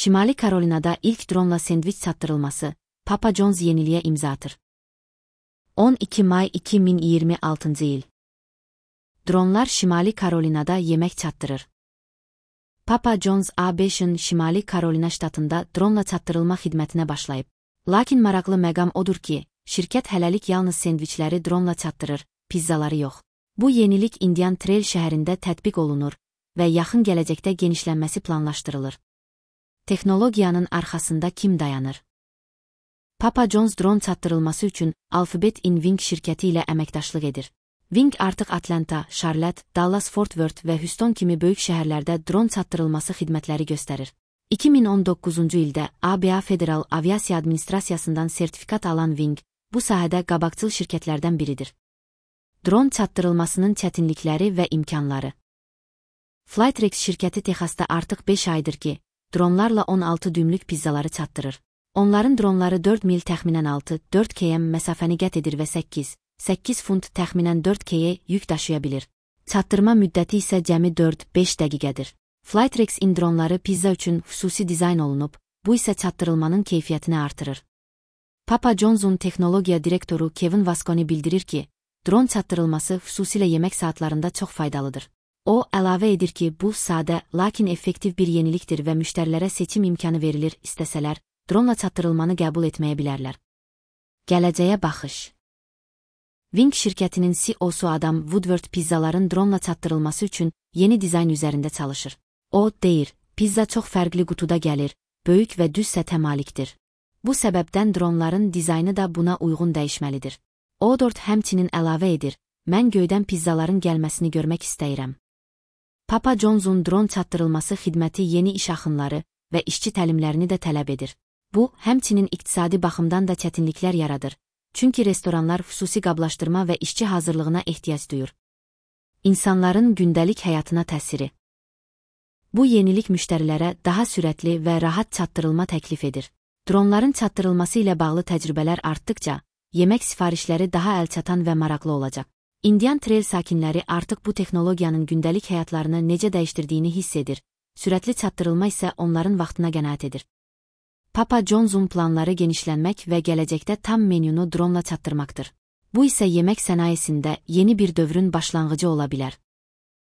Şimali Karolina'da ilk dronla sendviç çatdırılması, Papa John's yeniliğe imza atır. 12 May 2026 il. Dronlar Şimali Karolina'da yemek çatdırır. Papa John's A5'in Şimali Karolina ştatında dronla çatdırılma xidmətinə başlayıb. Lakin maraqlı məqam odur ki, şirkət hələlik yalnız sendviçləri dronla çatdırır, pizzaları yox. Bu yenilik Indian Trail şəhərində tətbiq olunur və yaxın gələcəkdə genişlənməsi planlaşdırılır. Texnologiyanın arxasında kim dayanır? Papa John's dron çatdırılması üçün Alphabet in Wing şirkəti ilə əməkdaşlıq edir. Wing artıq Atlanta, Charlotte, Dallas-Fort Worth və Houston kimi böyük şəhərlərdə dron çatdırılması xidmətləri göstərir. 2019-cu ildə ABA Federal Aviasiya Administrasiyasından sertifikat alan Wing, bu sahədə qabaqcıl şirkətlərdən biridir. Dron çatdırılmasının çətinlikləri və imkanları. Flytrex şirkəti Texasda artıq 5 aydır ki, dronlarla 16 düymlük pizzaları çatdırır. Onların dronları 4 mil təxminən 6-4 km məsafəni qət edir və 8 funt təxminən 4 kg yük daşıya bilir. Çatdırma müddəti isə cəmi 4-5 dəqiqədir. Flytrex-in dronları pizza üçün xüsusi dizayn olunub, bu isə çatdırılmanın keyfiyyətini artırır. Papa John's'un texnologiya direktoru Kevin Vasconi bildirir ki, dron çatdırılması xüsusilə yemək saatlarında çox faydalıdır. O, əlavə edir ki, bu sadə, lakin effektiv bir yenilikdir və müştərilərə seçim imkanı verilir, istəsələr, dronla çatdırılmanı qəbul etməyə bilərlər. Gələcəyə baxış. Wing şirkətinin CEO-su Adam Woodward pizzaların dronla çatdırılması üçün yeni dizayn üzərində çalışır. O, deyir, pizza çox fərqli qutuda gəlir, böyük və düz sətə malikdir. Bu səbəbdən dronların dizaynı da buna uyğun dəyişməlidir. Woodward həmçinin əlavə edir, mən göydən pizzaların gəlməsini görmək istəyirəm. Papa John's'un dron çatdırılması xidməti yeni iş axınları və işçi təlimlərini də tələb edir. Bu, həmçinin iqtisadi baxımdan da çətinliklər yaradır. Çünki restoranlar xüsusi qablaşdırma və işçi hazırlığına ehtiyac duyur. İnsanların gündəlik həyatına təsiri. Bu yenilik müştərilərə daha sürətli və rahat çatdırılma təklif edir. Dronların çatdırılması ilə bağlı təcrübələr artdıqca, yemək sifarişləri daha əlçatan və maraqlı olacaq. Indian Trail sakinləri artıq bu texnologiyanın gündəlik həyatlarını necə dəyişdirdiyini hiss edir. Sürətli çatdırılma isə onların vaxtına qənaət edir. Papa John's'un planları genişlənmək və gələcəkdə tam menyunu dronla çatdırmaqdır. Bu isə yemək sənayesində yeni bir dövrün başlanğıcı ola bilər.